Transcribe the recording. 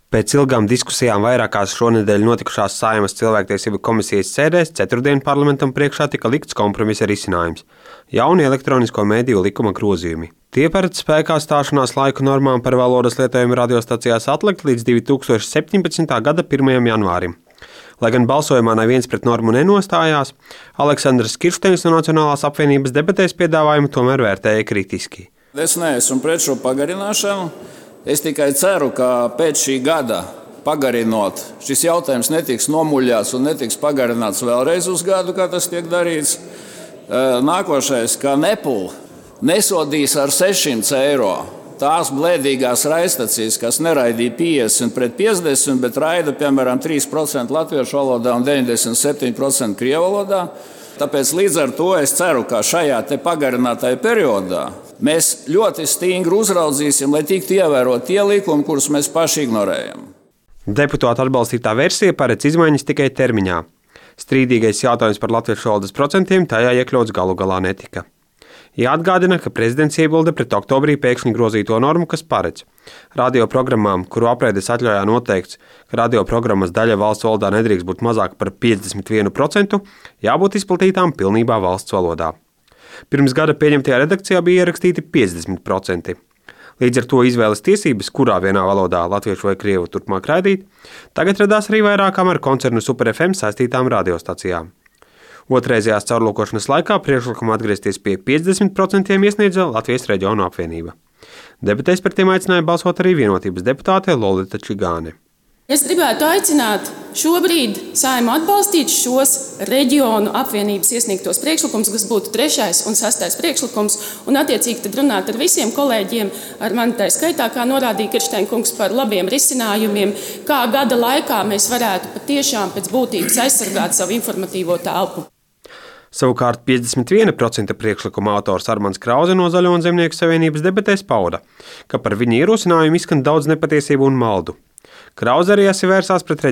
Pēc ilgām diskusijām vairākās šonedēļ notikušās Saeimas cilvēktiesību komisijas sēdēs ceturtdien parlamentam priekšā tika likts kompromisa risinājums – jauni elektronisko mediju likuma grozījumi. Tie paredz spēkā stāšanās laika normām par valodas lietojumu radiostacijās atlikt līdz 2017. gada 1. janvārim. Lai gan balsojumā neviens pret normu nenostājās, Aleksandrs Kirsteins no Nacionālās apvienības debatēs piedāvājumu tomēr vērtēja kritiski. Es neesmu pret šo pagarināšanu. Es tikai ceru, ka pēc šī gada pagarinot, šis jautājums netiks nomuļāts un netiks pagarināts vēlreiz uz gadu, kā tas tiek darīts. Nākošais, ka Nepal nesodīs ar 600 eiro tās blēdīgās raidstacijas, kas neraidīja 50 pret 50, bet raida, piemēram, 3% latviešu valodā un 97% krievu valodā. Tāpēc līdz ar to es ceru, ka šajā pagarinātajā periodā mēs ļoti stingri uzraudzīsim, lai tiktu ievērot tie likumi, kurus mēs paši ignorējam. Deputātu atbalstītā versija paredz izmaiņas tikai termiņā. Strīdīgais jautājums par latviešu valodas procentiem tajā iekļauts galu galā netika. Jāatgādina, ka prezidents iebilda pret oktobrī pēkšņi grozīto normu, kas paredz radioprogrammām, kuru apreides atļaujā noteikts, ka radioprogrammas daļa valsts valodā nedrīkst būt mazāka par 51%, jābūt izplatītām pilnībā valsts valodā. Pirms gada pieņemtajā redakcijā bija ierakstīti 50%. Līdz ar to izvēles tiesības, kurā vienā valodā latviešu vai krievu turpmāk raidīt, tagad radās arī vairākām ar koncernu Super FM saistītām radiostacijām. Otrreizējās caurlūkošanas laikā priekšlikumu atgriezties pie 50% iesniedza Latvijas reģionu apvienība. Debatēs par tiem aicināja balsot arī Vienotības deputāte Lolita Čigāne. Es gribētu aicināt šobrīd Saeimu atbalstīt šos reģionu apvienības iesniegtos priekšlikumus, kas būtu 3. un 6. priekšlikums, un attiecīgi tad runāt ar visiem kolēģiem, ar mani tā skaitā, kā norādīja Kirsteina kungs, par labiem risinājumiem, kā gada laikā mēs varētu patiešām pēc būtības aizsargāt savu informatīvo telpu. Savukārt 51% priekšlikuma autors Armands Krause no Zaļo un Zemnieku savienības debatēs pauda, ka par viņa ierosinājumu izskan daudz nepatiesību un maldu. Krause arī vērsās pret